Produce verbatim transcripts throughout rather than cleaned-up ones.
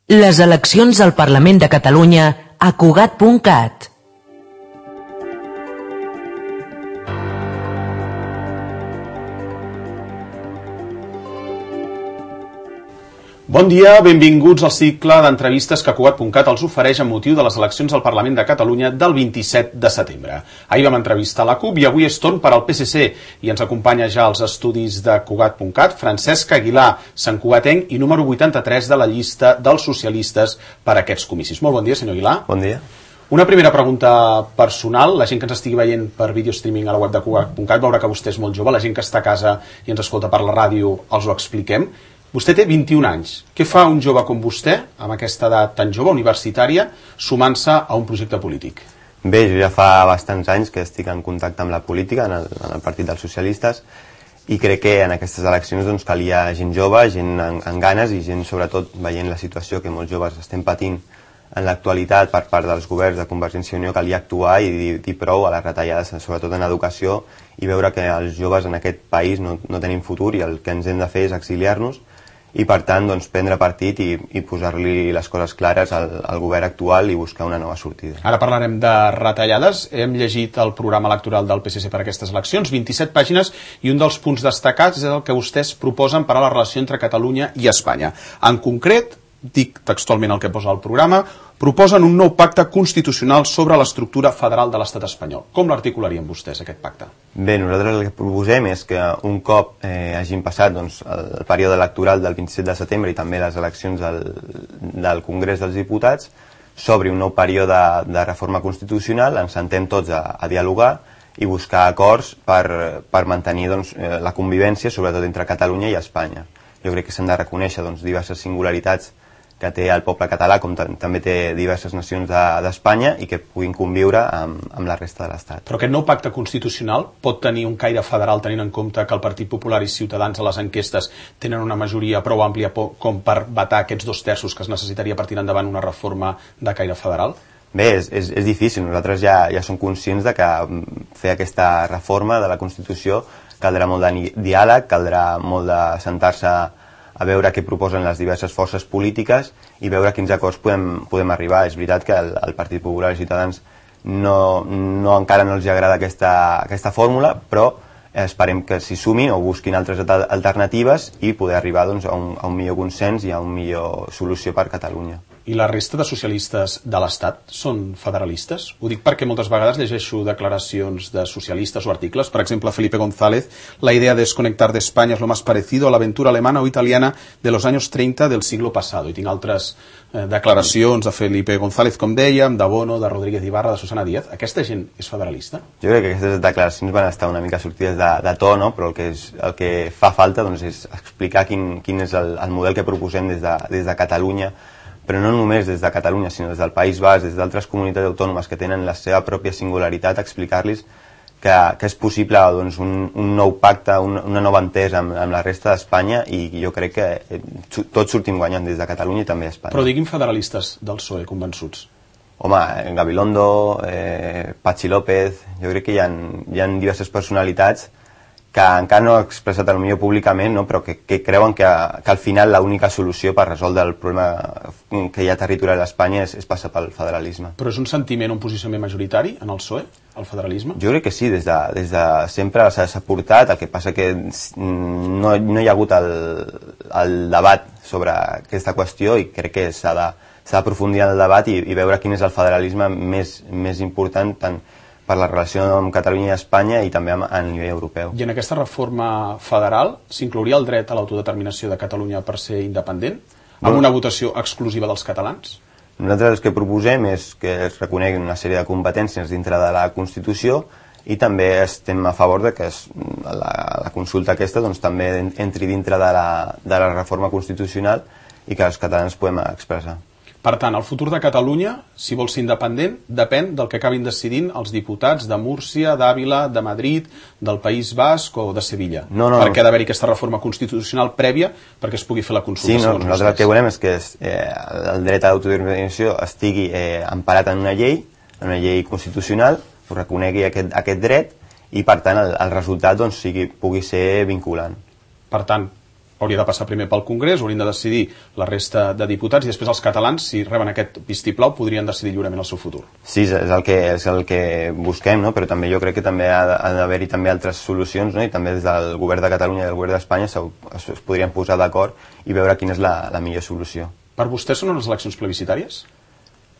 Les eleccions al Parlament de Catalunya a Cugat punt cat. Bon dia, benvinguts al cicle d'entrevistes que Cugat punt cat els ofereix amb motiu de les eleccions al Parlament de Catalunya del vint-i-set de setembre. Ahir vam entrevistar la CUP i avui és torn per al P S C i ens acompanya ja als estudis de Cugat punt cat Francesc Aguilar, santcugatenc i número vuitanta-tres de la llista dels socialistes per a aquests comicis. Molt bon dia, senyor Aguilar. Bon dia. Una primera pregunta personal. La gent que ens estigui veient per vídeo streaming a la web de Cugat punt cat veurà que vostè és molt jove. La gent que està a casa i ens escolta per la ràdio els ho expliquem. Vostè té vint-i-un anys. Què fa un jove com vostè, amb aquesta edat tan jove, universitària, sumant-se a un projecte polític? Bé, jo ja fa bastants anys que estic en contacte amb la política, en el, en el Partit dels Socialistes, i crec que en aquestes eleccions doncs, calia gent jove, gent en, en ganes i gent, sobretot, veient la situació que molts joves estem patint en l'actualitat per part dels governs de Convergència i Unió, calia actuar i dir, dir prou a les retallades, sobretot en educació, i veure que els joves en aquest país no, no tenim futur i el que ens hem de fer és exiliar-nos, i per tant doncs, prendre partit i, i posar-li les coses clares al, al govern actual i buscar una nova sortida. Ara parlarem de retallades. Hem llegit el programa electoral del P S C per a aquestes eleccions, vint-i-set pàgines, i un dels punts destacats és el que vostès proposen per a la relació entre Catalunya i Espanya. En concret, dic textualment el que posa al programa, proposen un nou pacte constitucional sobre l'estructura federal de l'estat espanyol. Com l'articularien vostès, aquest pacte? Bé, nosaltres el que proposem és que un cop eh, hagin passat doncs, el període electoral del vint-i-set de setembre i també les eleccions del, del Congrés dels Diputats, s'obri un nou període de reforma constitucional, ens sentem tots a, a dialogar i buscar acords per, per mantenir doncs, la convivència, sobretot entre Catalunya i Espanya. Jo crec que s'han de reconèixer doncs, diverses singularitats que té el poble català, com també té diverses nacions d'Espanya, i que puguin conviure amb, amb la resta de l'Estat. Però aquest nou pacte constitucional pot tenir un caire federal, tenint en compte que el Partit Popular i Ciutadans a les enquestes tenen una majoria prou àmplia com per vetar aquests dos terços que es necessitaria per tirar endavant una reforma de caire federal? Bé, és, és, és difícil. Nosaltres ja, ja som conscients de que fer aquesta reforma de la Constitució caldrà molt de diàleg, caldrà molt de sentar-se a veure què proposen les diverses forces polítiques i veure a quins acords podem, podem arribar. És veritat que el, el Partit Popular i Ciutadans no, no, encara no els agrada aquesta, aquesta fórmula, però esperem que s'hi sumin o busquin altres alternatives i poder arribar doncs, a, un, a un millor consens i a una millor solució per Catalunya. I la resta de socialistes de l'Estat són federalistes? Ho dic perquè moltes vegades llegeixo declaracions de socialistes o articles. Per exemple, Felipe González, la idea de desconectar de España es lo más parecido a la aventura alemana o italiana de los años treinta del siglo pasado. I tinc altres eh, declaracions de Felipe González, com dèiem, de Bono, de Rodríguez Ibarra, de Susana Díaz. Aquesta gent és federalista? Jo crec que aquestes declaracions van estar una mica sortides de, de to, no? Però el que, és, el que fa falta doncs, és explicar quin, quin és el, el model que proposem des de, des de Catalunya, però no només des de Catalunya, sinó des del País Basc, des d'altres comunitats autònomes que tenen la seva pròpia singularitat, explicar-los que, que és possible doncs, un, un nou pacte, un, una nova entesa amb, amb la resta d'Espanya, i jo crec que eh, tots sortim guanyant des de Catalunya i també a Espanya. Però diguin federalistes del P S O E convençuts. Home, Gabilondo, eh, Patxi López, jo crec que hi ha, hi ha diverses personalitats que encara no ha expressat el millor públicament, no? Però que, que creuen que, que al final l'única solució per resoldre el problema que hi ha territorial a Espanya és, és passar pel federalisme. Però és un sentiment, un posicionament majoritari en el P S O E, el federalisme? Jo crec que sí, des de, des de sempre s'ha portat, el que passa que no, no hi ha hagut el, el debat sobre aquesta qüestió i crec que s'ha d'aprofundir en el debat i, i veure quin és el federalisme més, més important tant per la relació amb Catalunya i Espanya i també a nivell europeu. I en aquesta reforma federal s'inclouria el dret a l'autodeterminació de Catalunya per ser independent, amb una votació exclusiva dels catalans? Nosaltres el que proposem és que es reconeguin una sèrie de competències dintre de la Constitució i també estem a favor de que es, la, la consulta aquesta doncs, també entri dintre de la, de la reforma constitucional i que els catalans podem expressar. Per tant, el futur de Catalunya, si vol ser independent, depèn del que acabin decidint els diputats de Múrcia, d'Àvila, de Madrid, del País Basc o de Sevilla. No, no, perquè ha d'haver-hi aquesta reforma constitucional prèvia perquè es pugui fer la consulta. Sí, no, nosaltres el que volem és que eh, el dret a l'autodeterminació estigui eh, emparat en una llei, en una llei constitucional, que reconegui aquest, aquest dret i, per tant, el, el resultat doncs, sigui, pugui ser vinculant. Per tant, hauria de passar primer pel Congrés, haurien de decidir la resta de diputats i després els catalans, si reben aquest vistiplau, podrien decidir lliurement el seu futur. Sí, és el que, és el que busquem, no? Però també jo crec que també ha d'haver-hi també altres solucions, no? I també des del govern de Catalunya i del govern d'Espanya es, es podrien posar d'acord i veure quina és la, la millor solució. Per vostès són unes eleccions plebiscitàries?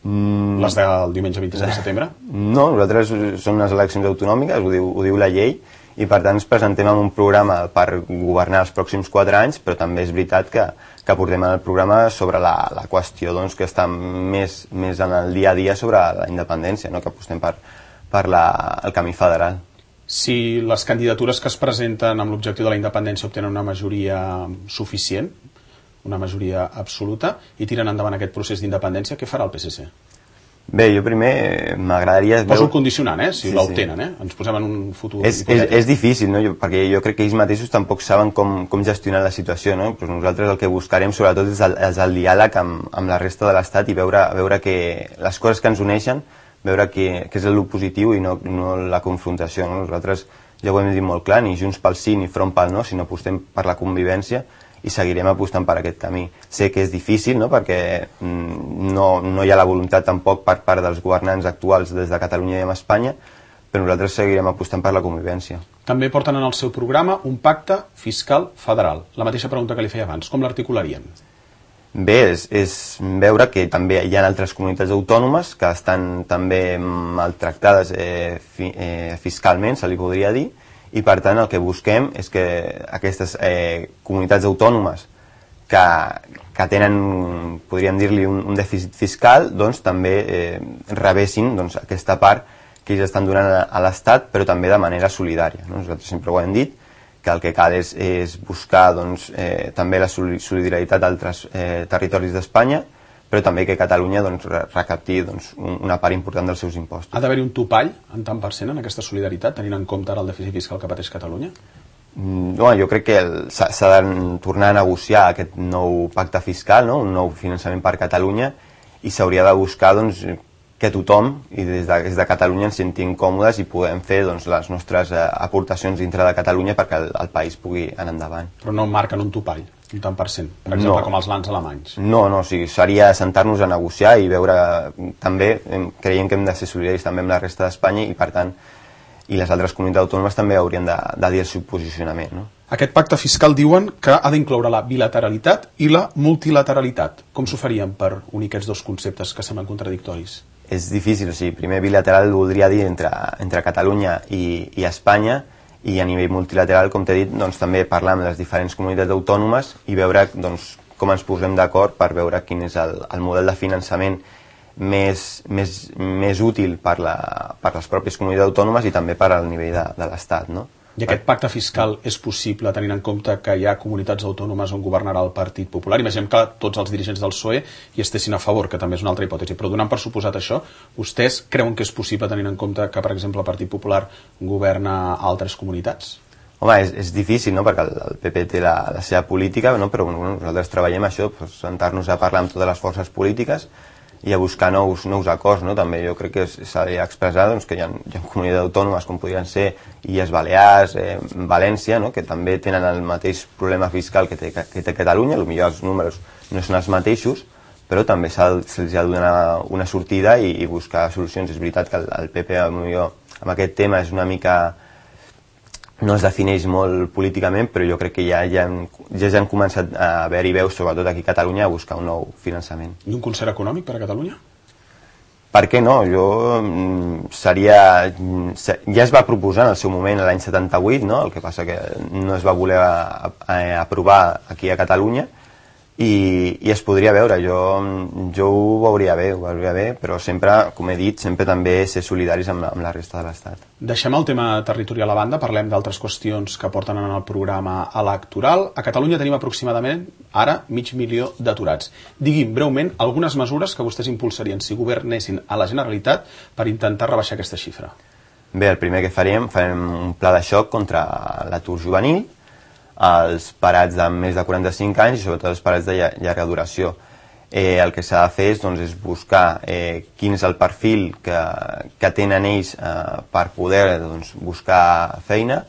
Mm. Les del diumenge vint-i-set de setembre? No, nosaltres són unes eleccions autonòmiques, ho diu, ho diu la llei, i per tant ens presentem amb un programa per governar els pròxims quatre anys, però també és veritat que, que portem el programa sobre la, la qüestió doncs, que està més, més en el dia a dia sobre la independència, no? Que apostem per, per la, el camí federal. Si les candidatures que es presenten amb l'objectiu de la independència obtenen una majoria suficient, una majoria absoluta, i tiren endavant aquest procés d'independència, què farà el P S C? Bé, jo primer m'agradaria... Poso un condicionant, eh? Si sí, l'obtenen, eh? Ens posem en un futur... És, és, és difícil, no? Jo, perquè jo crec que ells mateixos tampoc saben com, com gestionar la situació, no? Però nosaltres el que buscarem sobretot és el, és el diàleg amb, amb la resta de l'Estat i veure, veure que les coses que ens uneixen, veure què és el positiu i no, no la confrontació, no? Nosaltres ja ho hem dit molt clar, ni Junts pel Sí ni Front pel No, sinó apostem per la convivència i seguirem apostant per aquest camí. Sé que és difícil, no? Perquè no, no hi ha la voluntat tampoc per part dels governants actuals des de Catalunya i amb Espanya, però nosaltres seguirem apostant per la convivència. També porten en el seu programa un pacte fiscal federal. La mateixa pregunta que li feia abans, com l'articularien? Bé, és, és veure que també hi ha altres comunitats autònomes que estan també maltractades eh, fi, eh, fiscalment, se li podria dir, i per tant el que busquem és que aquestes eh, comunitats autònomes que, que tenen, podríem dir-li, un, un dèficit fiscal, doncs també eh, rebessin doncs, aquesta part que ells estan donant a, a l'Estat, però també de manera solidària, no? Nosaltres sempre ho hem dit, que el que cal és, és buscar doncs, eh, també la solidaritat d'altres eh, territoris d'Espanya, però també que Catalunya doncs, recapti doncs, una part important dels seus impostos. Ha d'haver-hi un topall en tant per cent en aquesta solidaritat, tenint en compte ara el dèficit fiscal que pateix Catalunya? No, jo crec que s'ha de tornar a negociar aquest nou pacte fiscal, no? Un nou finançament per Catalunya, i s'hauria de buscar doncs, que tothom, i des de, des de Catalunya ens sentim còmodes i podem fer doncs, les nostres eh, aportacions dintre de Catalunya perquè el, el país pugui anar endavant. Però no marquen un topall, un tant per cent, per exemple, no. Com els lans alemanys. No, no, o sigui, seria sentar-nos a negociar i veure, també, creiem que hem de ser solidaris també amb la resta d'Espanya i per tant, i les altres comunitats autònomes també haurien de, de dir el seu posicionament, no? Aquest pacte fiscal diuen que ha d'incloure la bilateralitat i la multilateralitat. Com s'ho farien per unir aquests dos conceptes que semblen contradictoris? És difícil, o sigui, primer bilateral voldria dir entre, entre Catalunya i, i Espanya, i a nivell multilateral, com t'he dit, doncs, també parlar amb les diferents comunitats autònomes i veure doncs, com ens posem d'acord per veure quin és el, el model de finançament més, més, més útil per, la, per les pròpies comunitats autònomes i també per al nivell de, de l'Estat, no? I aquest pacte fiscal és possible tenint en compte que hi ha comunitats autònomes on governarà el Partit Popular? Imaginem que tots els dirigents del P S O E hi estessin a favor, que també és una altra hipòtesi, però donant per suposat això, vostès creuen que és possible tenint en compte que, per exemple, el Partit Popular governa altres comunitats? Home, és, és difícil, no?, perquè el, el P P té la, la seva política, no? Però bueno, nosaltres treballem això, pues, sentar-nos a parlar amb totes les forces polítiques i a buscar nous, nous acords, no? També jo crec que s'ha d'expressar doncs, que hi ha, hi ha comunitats autònomes com podrien ser Illes Balears, eh, València, no? Que també tenen el mateix problema fiscal que té, que té Catalunya, potser els números no són els mateixos, però també se'ls ha de donar una sortida i, i buscar solucions. És veritat que el, el P P potser, amb aquest tema és una mica... no es defineix molt políticament, però jo crec que ja, ja, ja, ja han començat a haver-hi veus, sobretot aquí a Catalunya, a buscar un nou finançament. I un concert econòmic per a Catalunya? Per què no? Jo seria... Ja es va proposar en el seu moment, l'any setanta-vuit, no? El que passa que no es va voler aprovar aquí a Catalunya, i, i es podria veure. Jo, jo ho veuria bé, ho veuria bé, però sempre, com he dit, sempre també ser solidaris amb la, amb la resta de l'Estat. Deixem el tema territorial a banda, parlem d'altres qüestions que porten en el programa electoral. A Catalunya tenim aproximadament, ara, mig milió d'aturats. Digui'm breument algunes mesures que vostès impulsarien si governessin a la Generalitat per intentar rebaixar aquesta xifra. Bé, el primer que faríem, farem un pla de xoc contra l'atur juvenil, els parats de més de quaranta-cinc anys i sobretot els parats de llarga duració. Eh, el que s'ha de fer és, doncs, és buscar eh, quin és el perfil que, que tenen ells eh, per poder doncs, buscar feina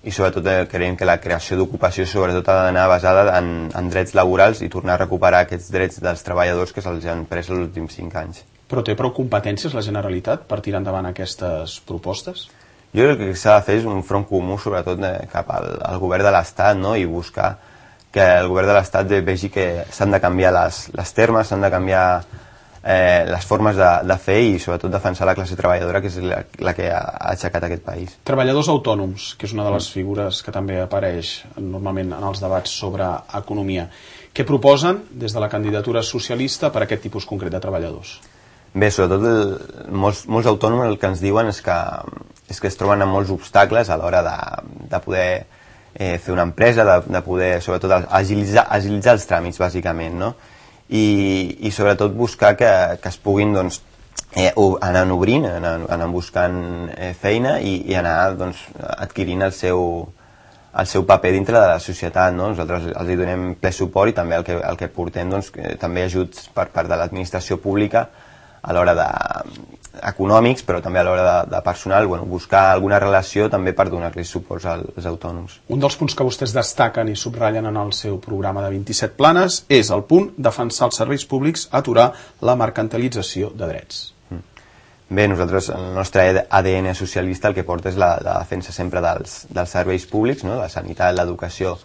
i sobretot eh, creiem que la creació d'ocupació sobretot ha d'anar basada en, en drets laborals i tornar a recuperar aquests drets dels treballadors que se'ls han pres els últims cinc anys. Però té prou competències la Generalitat per tirar endavant aquestes propostes? Jo crec que s'ha de fer és un front comú sobretot eh, cap al, al govern de l'Estat, no? I buscar que el govern de l'Estat vegi que s'han de canviar les, les termes, s'han de canviar eh, les formes de, de fer i sobretot defensar la classe treballadora, que és la, la que ha aixecat aquest país. Treballadors autònoms, que és una de les figures que també apareix normalment en els debats sobre economia. Què proposen des de la candidatura socialista per a aquest tipus concret de treballadors? Bé, sobretot el, molts, molts autònoms el que ens diuen és que, és que es troben amb molts obstacles a l'hora de, de poder eh, fer una empresa, de, de poder sobretot agilitzar, agilitzar els tràmits bàsicament, no? I, i sobretot buscar que, que es puguin doncs, eh, anar obrint, anar, anar buscant eh, feina i, i anar doncs, adquirint el seu, el seu paper dintre de la societat, no? Nosaltres els hi donem ple suport i també el que, el que portem doncs, també ajuts per part de l'administració pública a l'hora de econòmics, però també a l'hora de, de personal, bueno, buscar alguna relació també per donar-li suports als autònoms. Un dels punts que vostès destaquen i subratllen en el seu programa de vint-i-set planes és el punt defensar els serveis públics, aturar la mercantilització de drets. Bé, nosaltres, el nostre A D N socialista el que porta és la, la defensa sempre dels, dels serveis públics, no? La sanitat, l'educació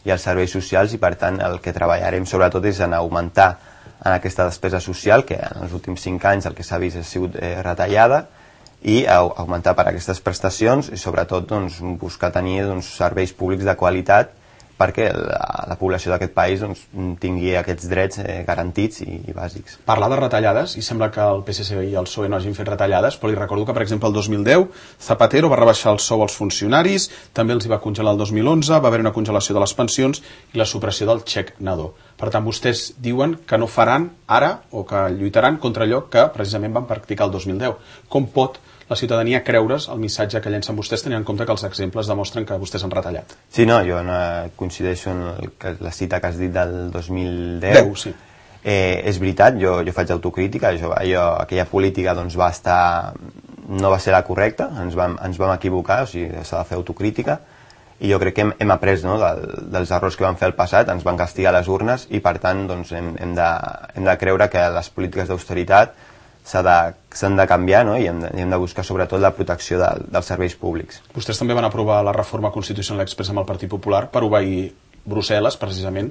i els serveis socials, i per tant el que treballarem sobretot és en augmentar en aquesta despesa social, que en els últims cinc anys el que s'ha vist ha sigut eh, retallada, i augmentar per aquestes prestacions i sobretot doncs, buscar tenir doncs, serveis públics de qualitat perquè la, la població d'aquest país doncs, tingui aquests drets eh, garantits i, i bàsics. Parlar de retallades, i sembla que el P S C i el P S O E no hagin fet retallades, però li recordo que, per exemple, el dos mil deu Zapatero va rebaixar el sou als funcionaris, també els hi va congelar el dos mil onze, va haver una congelació de les pensions i la supressió del xec nadó. Per tant, vostès diuen que no faran ara o que lluitaran contra allò que precisament van practicar el dos mil deu. Com pot la ciutadania creure's el missatge que llencen vostès tenint en compte que els exemples demostren que vostès han retallat? Sí, no, jo no coincideixo en el, la cita que has dit del dos mil deu. deu, sí. Eh, és veritat, jo, jo faig autocrítica, jo, jo, aquella política doncs, va estar, no va ser la correcta, ens vam, ens vam equivocar, o sigui, s'ha de fer autocrítica, i jo crec que hem, hem après no, del, dels errors que vam fer al passat, ens van castigar les urnes, i per tant doncs, hem, hem, de, hem de creure que les polítiques d'austeritat s'han de, s'han de canviar, no? I hem de, hem de buscar sobretot la protecció de, dels serveis públics. Vostès també van aprovar la reforma constitucional expressa amb el Partit Popular per obeir Brussel·les, precisament,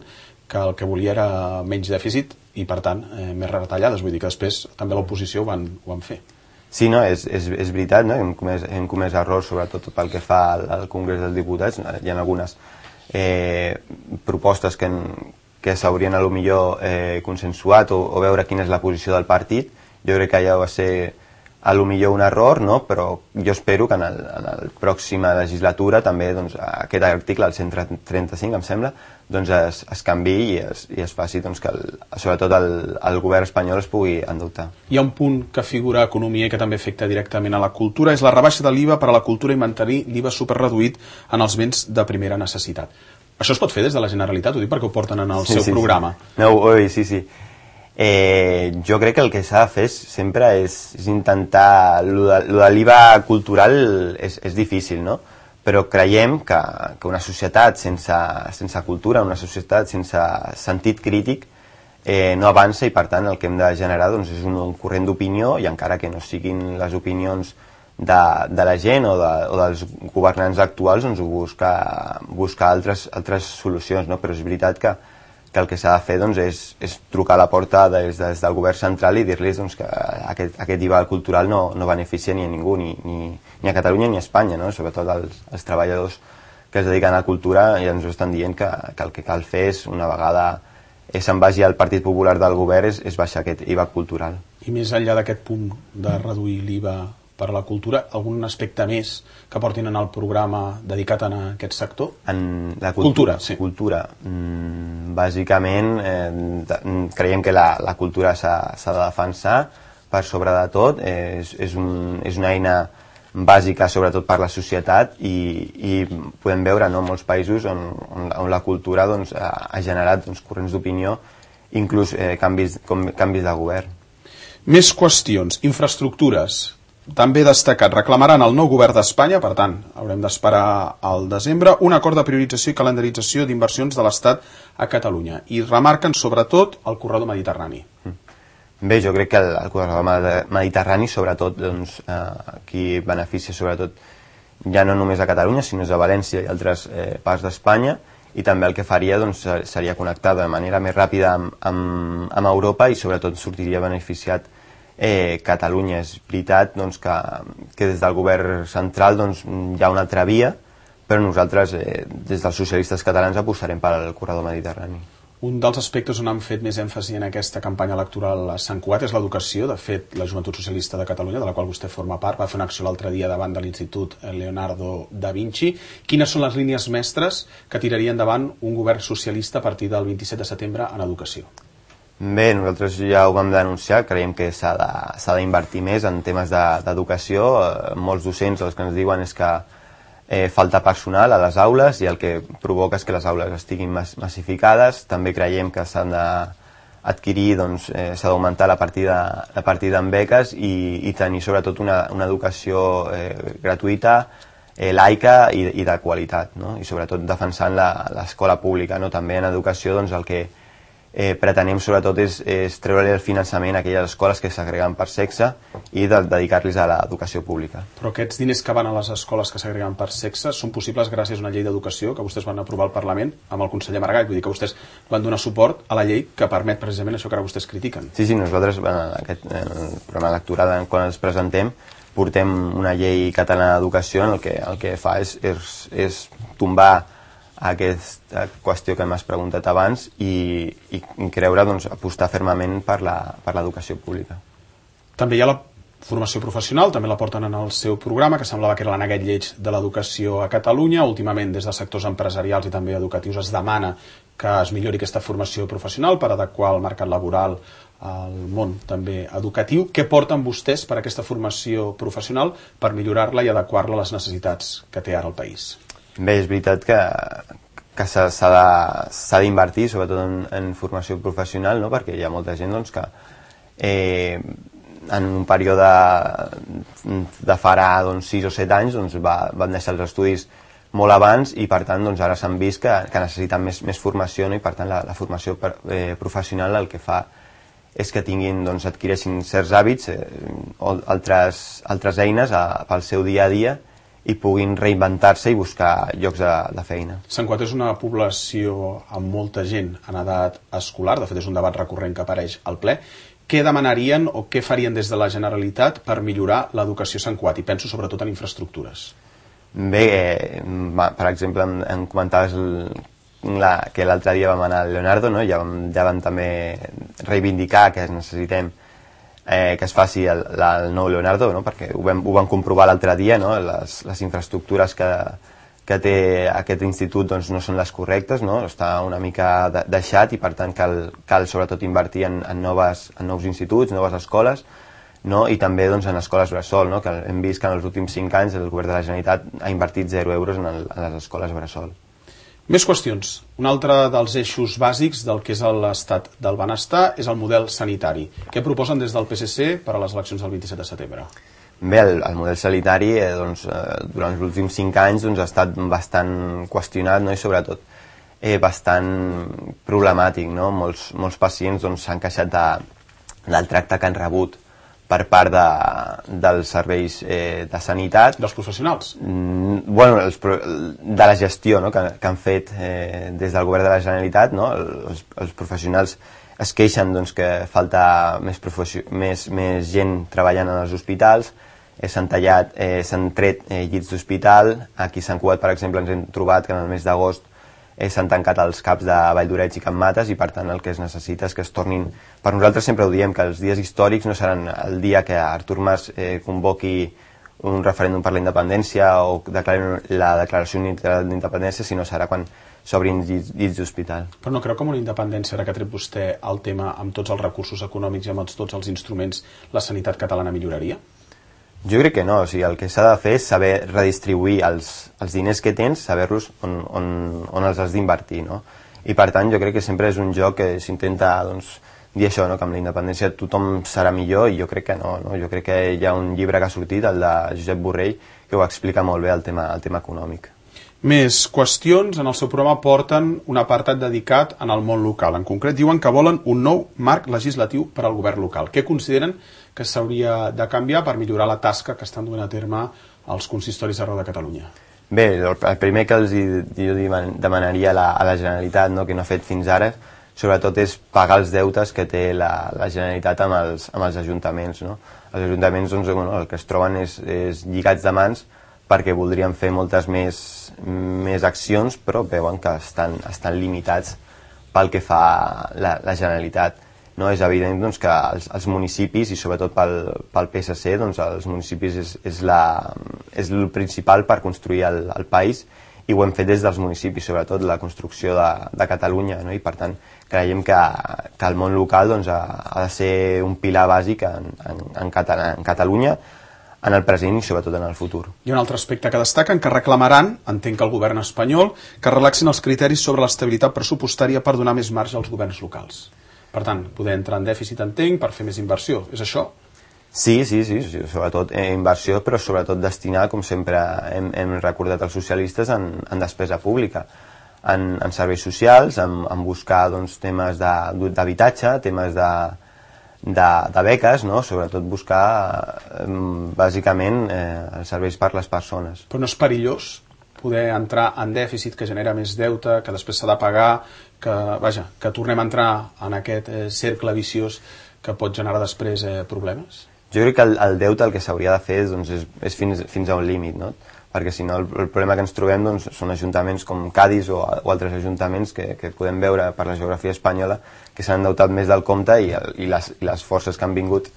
que el que volia era menys dèficit i, per tant, eh, més retallades. Vull dir que després també l'oposició ho van, ho van fer. Sí, no, és, és, és veritat, no? Hem comès, hem comès errors, sobretot pel que fa al, al Congrés dels Diputats. Hi ha algunes eh, propostes que, que s'haurien a lo millor eh, consensuat o, o veure quina és la posició del partit. Jo crec que allà va ser a lo millor un error, no? Però jo espero que en, el, en la pròxima legislatura també doncs, aquest article, el cent trenta-cinc, em sembla, doncs es, es canvi i es, i es faci doncs, que el, sobretot el, el govern espanyol es pugui endeutar. Hi ha un punt que figura a economia i que també afecta directament a la cultura, és la rebaixa de l'I V A per a la cultura i mantenir l'I V A superreduït en els béns de primera necessitat. Això es pot fer des de la Generalitat? Ho dic perquè ho porten en el sí, seu sí, programa. Sí. No, oi, sí, sí. Eh, jo crec que el que s'ha de fer sempre és, és intentar... Lo de, lo de l'I V A cultural és, és difícil, no? Però creiem que, que una societat sense, sense cultura, una societat sense sentit crític, eh, no avança i, per tant, el que hem de generar doncs, és un, un corrent d'opinió i encara que no siguin les opinions de, de la gent o, de, o dels governants actuals, doncs buscar, buscar altres, altres solucions, no? Però és veritat que que el que s'ha de fer doncs, és, és trucar a la porta des, des del govern central i dir-los doncs, que aquest, aquest I V A cultural no, no beneficia ni a ningú, ni, ni, ni a Catalunya ni a Espanya, no? Sobretot els, els treballadors que es dediquen a la cultura i ens ho estan dient que, que el que cal fer és, una vegada se'n vagi al Partit Popular del govern, és, és baixar aquest I V A cultural. I més enllà d'aquest punt de reduir l'I V A per a la cultura, algun aspecte més que portin en el programa dedicat a aquest sector? En la cultura, cultura, sí. Cultura. Mm, bàsicament, eh, creiem que la, la cultura s'ha de defensar per sobre de tot. Eh, és, és, un, és una eina bàsica, sobretot per la societat, i, i podem veure no, molts països on, on, on la cultura doncs, ha, ha generat doncs, corrents d'opinió, inclús eh, canvis, com, canvis de govern. Més qüestions. Infraestructures. també destacat, reclamaran al nou govern d'Espanya, per tant, haurem d'esperar al desembre, un acord de priorització i calendarització d'inversions de l'Estat a Catalunya. I remarquen, sobretot, el corredor mediterrani. Bé, jo crec que el, el corredor mediterrani, sobretot, doncs, eh, aquí beneficia, sobretot, ja no només a Catalunya, sinó a València i altres eh, parts d'Espanya, i també el que faria doncs, seria connectar de manera més ràpida amb, amb, amb Europa i, sobretot, sortiria beneficiat Eh, Catalunya. És veritat doncs, que, que des del govern central doncs, hi ha una altra via, però nosaltres eh, des dels socialistes catalans apostarem pel corredor mediterrani. Un dels aspectes on han fet més èmfasi en aquesta campanya electoral a Sant Cugat és l'educació. De fet, la Joventut Socialista de Catalunya, de la qual vostè forma part, va fer una acció l'altre dia davant de l'Institut Leonardo da Vinci. Quines són les línies mestres que tiraria endavant un govern socialista a partir del vint-i-set de setembre en educació? Bé, nosaltres ja ho vam denunciar, creiem que s'ha de, s'ha d'invertir més en temes d'educació. De, molts docents el que ens diuen és que eh, falta personal a les aules i el que provoca és que les aules estiguin mas, massificades. També creiem que s'han d'adquirir, doncs, eh, s'ha d'augmentar la partida, la partida en beques i, i tenir sobretot una, una educació eh, gratuïta, eh, laica i, i de qualitat, no? I sobretot defensant l'escola pública, no? També en educació doncs, el que Eh, pretenem sobretot és, és treure el finançament a aquelles escoles que s'agreguen per sexe i de, dedicar-los a l'educació pública. Però aquests diners que van a les escoles que s'agreguen per sexe són possibles gràcies a una llei d'educació que vostès van aprovar al Parlament amb el conseller Maragall. Vull dir que vostès van donar suport a la llei que permet precisament això que ara vostès critiquen. Sí, sí, nosaltres en aquest en el programa electoral quan ens presentem portem una llei catalana d'educació en el que el que fa és, és, és tombar aquesta qüestió que m'has preguntat abans i, i creure, doncs, apostar fermament per l'educació pública. També hi ha la formació professional, també la porten en el seu programa, que semblava que era l'aneguet lleig de l'educació a Catalunya. Últimament, des de sectors empresarials i també educatius es demana que es millori aquesta formació professional per adequar el mercat laboral al món també educatiu. Què porten vostès per aquesta formació professional per millorar-la i adequar-la a les necessitats que té ara el país? Bé, és veritat que, que s'ha d'invertir, sobretot en, en formació professional, no? Perquè hi ha molta gent doncs, que eh, en un període de, de farà doncs, sis o set anys doncs, va, van deixar els estudis molt abans i per tant doncs, ara s'han vist que, que necessiten més, més formació, no? I per tant la, la formació per, eh, professional el que fa és que tinguin, doncs, adquireixin certs hàbits eh, o altres, altres eines a, pel seu dia a dia i puguin reinventar-se i buscar llocs de, de feina. Sant Cugat és una població amb molta gent en edat escolar, de fet és un debat recurrent que apareix al ple. Què demanarien o què farien des de la Generalitat per millorar l'educació a Sant Cugat? I penso sobretot en infraestructures. Bé, eh, per exemple, em, em comentaves la, que l'altre dia vam anar al Leonardo, no? ja, vam, ja vam també reivindicar que necessitem Eh, que es faci el, el nou Leonardo, no? Perquè ho vam, ho vam comprovar l'altre dia, no? les, les infraestructures que, que té aquest institut doncs, no són les correctes, no? Està una mica de, deixat i per tant cal, cal sobretot invertir en, en, noves, en nous instituts, noves escoles, no? I també doncs, en escoles bressol, no? Que hem vist que en els últims cinc anys el govern de la Generalitat ha invertit zero euros en, el, en les escoles bressol. Més qüestions. Un altre dels eixos bàsics del que és l'estat del benestar és el model sanitari. Què proposen des del P S C per a les eleccions del vint-i-set de setembre? Bé, el, el model sanitari eh, doncs, eh, durant els últims cinc anys doncs, ha estat bastant qüestionat, no? I sobretot eh, bastant problemàtic. No? Molts, molts pacients s'han doncs, queixat de, del tracte que han rebut per part de, dels serveis eh, de sanitat. Dels professionals? Mm, bueno, els, de la gestió, no? que, que han fet eh, des del govern de la Generalitat, no? els, els professionals es queixen doncs, que falta més, més, més gent treballant en els hospitals, eh, s'han tallat, eh, s'han tret eh, llits d'hospital. Aquí a Sant Cugat, per exemple, ens hem trobat que en el mes d'agost eh, s'han tancat els CAPs de Valldoreix i Can Mates i per tant el que es necessita és que es tornin. Per nosaltres sempre ho diem, que els dies històrics no seran el dia que Artur Mas eh, convoqui un referèndum per la independència o declarin la declaració d'independència, sinó serà quan s'obrin llits, llits d'hospital. Però no creu que amb una independència, ara que ha tret vostè el tema amb tots els recursos econòmics i amb tots els instruments, la sanitat catalana milloraria? Jo crec que no, o sigui, el que s'ha de fer és saber redistribuir els, els diners que tens, saber-los on, on, on els has d'invertir, no? I per tant jo crec que sempre és un joc que s'intenta doncs, dir això, no? Que amb la independència tothom serà millor, i jo crec que no, no? Jo crec que hi ha un llibre que ha sortit, el de Josep Borrell, que ho explica molt bé el tema, el tema econòmic. Més qüestions. En el seu programa porten un apartat dedicat en el món local. En concret diuen que volen un nou marc legislatiu per al govern local. Què consideren que s'hauria de canviar per millorar la tasca que estan duent a terme els consistoris arreu de Catalunya? Bé, el primer que els jo demanaria a la, a la Generalitat, no, que no ha fet fins ara, sobretot és pagar els deutes que té la, la Generalitat amb els, amb els ajuntaments, no? Els ajuntaments, doncs, bueno, el que es troben és, és lligats de mans perquè voldrien fer moltes més, més accions, però veuen que estan, estan limitats pel que fa la, la Generalitat. No? És evident, doncs, que els, els municipis, i sobretot pel, pel P S C, doncs, els municipis és, és, la, és el principal per construir el, el país, i ho hem fet des dels municipis, sobretot la construcció de, de Catalunya, no? I per tant creiem que, que el món local, doncs, ha, ha de ser un pilar bàsic en, en, en, Català, en Catalunya, en el present i sobretot en el futur. Hi ha un altre aspecte que destaquen, que reclamaran, entenc que el govern espanyol, que relaxin els criteris sobre l'estabilitat pressupostària per donar més marge als governs locals. Per tant, poder entrar en dèficit, entenc, per fer més inversió. És això? Sí, sí, sí, sí, sobretot eh, inversió, però sobretot destinar, com sempre hem, hem recordat els socialistes, en, en despesa pública, en, en serveis socials, en, en buscar, doncs, temes d'habitatge, temes de, de, de beques, no? Sobretot buscar, eh, bàsicament, eh, els serveis per les persones. Però no és perillós poder entrar en dèficit que genera més deute, que després s'ha de pagar, que, vaja, que tornem a entrar en aquest eh, cercle viciós que pot generar després eh, problemes? Jo crec que el, el deute el que s'hauria de fer doncs, és, és fins, fins a un límit, no? Perquè si no el, el problema que ens trobem, doncs, són ajuntaments com Cádiz o, o altres ajuntaments que, que podem veure per la geografia espanyola que s'han endeutat més del compte, i, i, les, i les forces que han vingut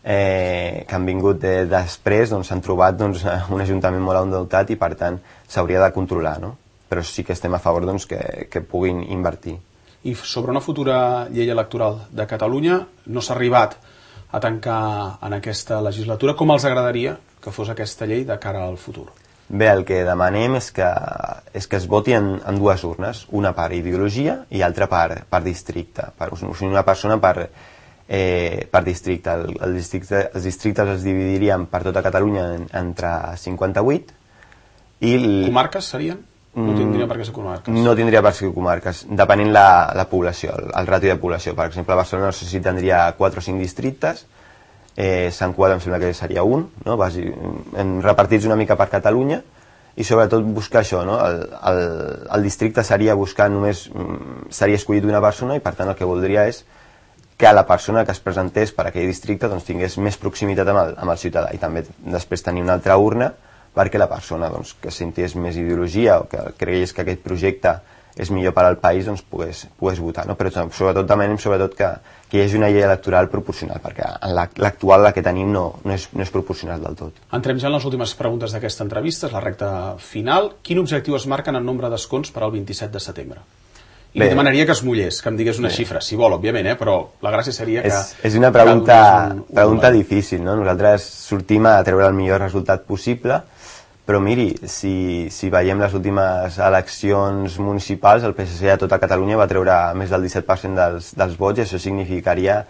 eh, que han vingut de, després doncs, s'han trobat doncs, un ajuntament molt endeutat, i per tant s'hauria de controlar, no? Però sí que estem a favor doncs, que, que puguin invertir. I sobre una futura llei electoral de Catalunya no s'ha arribat a tancar en aquesta legislatura. Com els agradaria que fos aquesta llei de cara al futur? Bé, el que demanem és que, és que es voti en, en dues urnes, una per ideologia i altra per, per districte. Per, o sigui, una persona per, eh, per districte. El, el districte. Els districtes els dividiríem per tota Catalunya en, entre cinquanta-vuit. I el... Comarques serien? No tindria per què ser comarques. No tindria per què ser comarques, depenent la, la població, el, el ràtio de població. Per exemple, Barcelona no sé si tindria quatre o cinc districtes, eh, Sant Cugat em sembla que seria un, no? Basi, en, repartits una mica per Catalunya, i sobretot buscar això, no? El, el, el districte seria buscar només, seria escollit una persona, i per tant el que voldria és que la persona que es presentés per aquell districte doncs, tingués més proximitat amb el, amb el ciutadà, i també després tenir una altra urna perquè la persona doncs, que sentés més ideologia o que cregués que aquest projecte és millor per al país doncs, pogués, pogués votar. No? Però sobretot demanem sobretot que, que hi hagi una llei electoral proporcional, perquè l'actual, la que tenim, no, no, és, no és proporcional del tot. Entrem ja en les últimes preguntes d'aquesta entrevista, és la recta final. Quin objectiu es marquen en nombre d'escons per al vint-i-set de setembre? I li demanaria que es mullés, que em digués una bé. xifra, si vol, òbviament, eh? Però la gràcia seria que... És, és una pregunta, un, un pregunta difícil, no? Nosaltres sortim a treure el millor resultat possible, però miri, si, si veiem les últimes eleccions municipals, el P S C a tota Catalunya va treure més del disset per cent dels, dels vots, i això significaria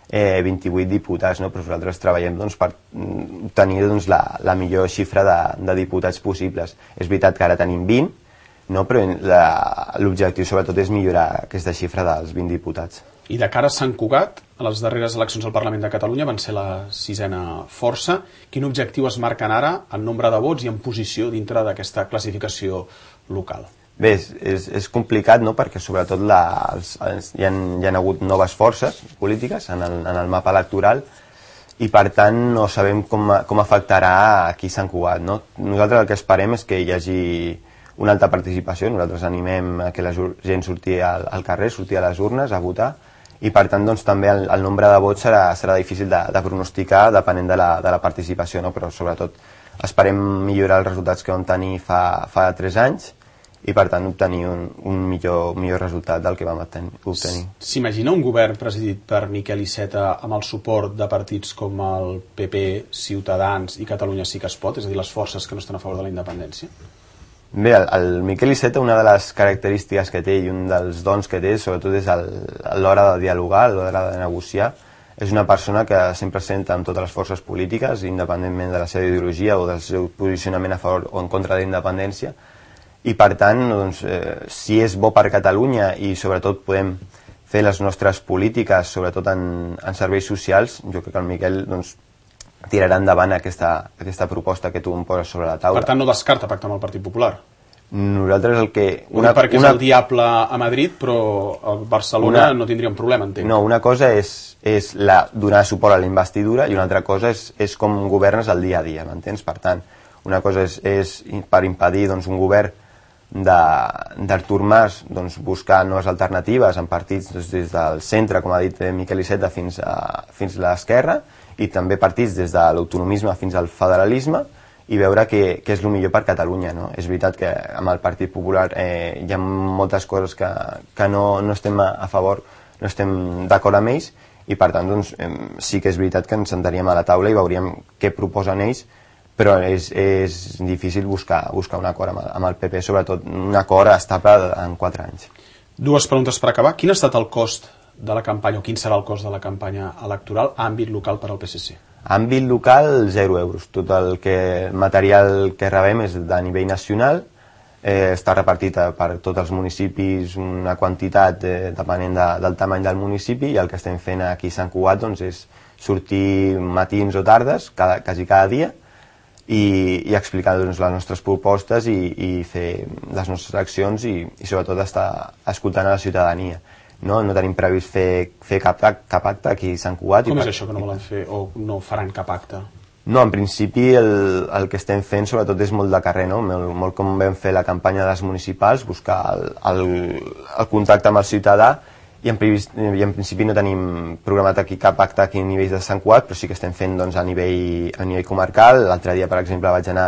eh, vint-i-vuit diputats, no? Però nosaltres treballem doncs, per tenir doncs, la, la millor xifra de, de diputats possibles. És veritat que ara tenim vint, no? Però l'objectiu sobretot és millorar aquesta xifra dels vint diputats. I de cara a Sant Cugat, a les darreres eleccions al Parlament de Catalunya van ser la sisena força. Quin objectiu es marquen ara en nombre de vots i en posició dintre d'aquesta classificació local? Bé, és, és, és complicat, no? Perquè sobretot la, els, els, hi, ha, hi ha hagut noves forces polítiques en el, en el mapa electoral, i per tant no sabem com, com afectarà aquí Sant Cugat, no? Nosaltres el que esperem és que hi hagi una alta participació. Nosaltres animem a que la gent surti al, al carrer, surti a les urnes a votar, i per tant doncs, també el, el nombre de vots serà, serà difícil de, de pronosticar depenent de la, de la participació, no? Però sobretot esperem millorar els resultats que vam tenir fa, fa tres anys, i per tant obtenir un, un millor, millor resultat del que vam obtenir. S'imagina un govern presidit per Miquel Iceta amb el suport de partits com el P P, Ciutadans i Catalunya Sí que es pot, és a dir, les forces que no estan a favor de la independència? Bé, el, el Miquel Iceta, una de les característiques que té i un dels dons que té, sobretot és el, a l'hora de dialogar, a l'hora de negociar. És una persona que sempre senta amb totes les forces polítiques, independentment de la seva ideologia o del seu posicionament a favor o en contra de la independència. I per tant, doncs, eh, si és bo per Catalunya i sobretot podem fer les nostres polítiques, sobretot en, en serveis socials, jo crec que el Miquel doncs, tirarà endavant aquesta, aquesta proposta que tu em poses sobre la taula. Per tant, no descarta pactar amb el Partit Popular? Nosaltres el que... Una, perquè una... és el diable a Madrid, però a Barcelona una... no tindria un problema, entenc. No, una cosa és, és la, donar suport a la investidura i una altra cosa és, és com governes el dia a dia, m'entens? Per tant, una cosa és, és per impedir doncs, un govern d'Artur Mas doncs, buscar noves alternatives en partits doncs, des del centre, com ha dit Miquel Iceta, fins a, fins a l'esquerra, i també partits des de l'autonomisme fins al federalisme, i veure què, què és el millor per Catalunya. No? És veritat que amb el Partit Popular eh, hi ha moltes coses que, que no, no estem a favor, no estem d'acord amb ells, i per tant doncs, eh, sí que és veritat que ens sentaríem a la taula i veuríem què proposen ells, però és, és difícil buscar, buscar un acord amb el, amb el P P, sobretot un acord estable en quatre anys. Dues preguntes per acabar. Quin ha estat el cost de la campanya, o quin serà el cost de la campanya electoral a àmbit local per al P S C? A àmbit local, zero euros. Tot el que, material que rebem és de nivell nacional, eh, està repartit per tots els municipis una quantitat eh, depenent de, del tamany del municipi, i el que estem fent aquí a Sant Cugat doncs, és sortir matins o tardes, cada, quasi cada dia, i, i explicar doncs, les nostres propostes i, i fer les nostres accions i, i sobretot estar escoltant a la ciutadania. No, no tenim previst fer, fer cap, cap acte aquí a Sant Cugat. Com i és per... això que no volen fer o no faran cap acte? No, en principi el, el que estem fent sobretot és molt de carrer, no? molt, molt com vam fer la campanya de les municipals, buscar el, el, el contacte amb el ciutadà, i en, i en principi no tenim programat aquí cap acte aquí a nivell de Sant Cugat, però sí que estem fent doncs, a, nivell, a nivell comarcal. L'altre dia, per exemple, vaig anar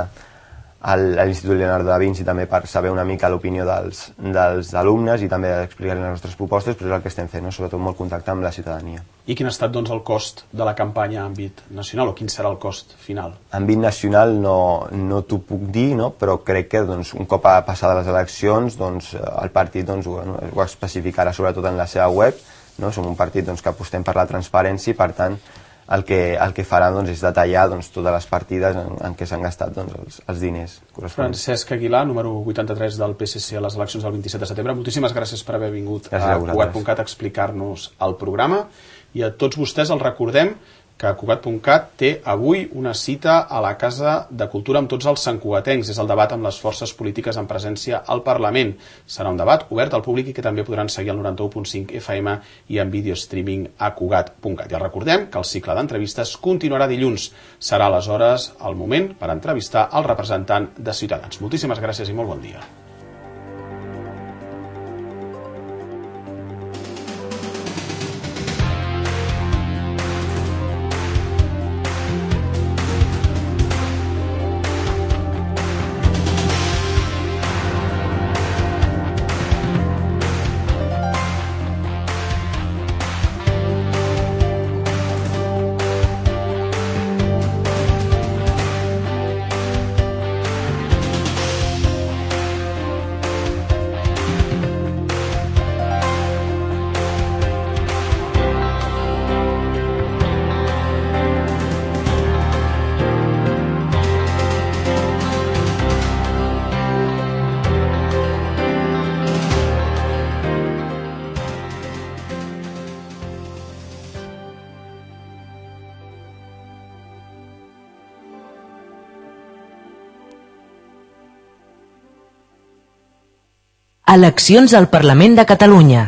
a l'Institut Leonardo da Vinci també per saber una mica l'opinió dels, dels alumnes i també explicar les nostres propostes, però és el que estem fent, no? Sobretot molt contacte amb la ciutadania. I quin ha estat doncs, el cost de la campanya a àmbit nacional, o quin serà el cost final? A àmbit nacional no, no t'ho puc dir, no? Però crec que doncs, un cop passades les eleccions doncs, el partit doncs, ho, no? ho especificarà sobretot en la seva web, no? Som un partit doncs, que apostem per la transparència i per tant el que, el que farà doncs, és detallar doncs, totes les partides en, en què s'han gastat doncs, els, els diners corresponents. Francesc Aguilar, número vuitanta-tres del P S C a les eleccions del vint-i-set de setembre. Moltíssimes gràcies per haver vingut gràcies a, a Cugat punt cat a explicar-nos el programa, i a tots vostès els recordem que Cugat punt cat té avui una cita a la Casa de Cultura amb tots els santcugatencs. És el debat amb les forces polítiques en presència al Parlament. Serà un debat obert al públic i que també podran seguir al noranta-u punt cinc F M i en vídeo streaming a Cugat punt cat. I els recordem que el cicle d'entrevistes continuarà dilluns. Serà aleshores el moment per entrevistar el representant de Ciutadans. Moltíssimes gràcies i molt bon dia. Eleccions al Parlament de Catalunya.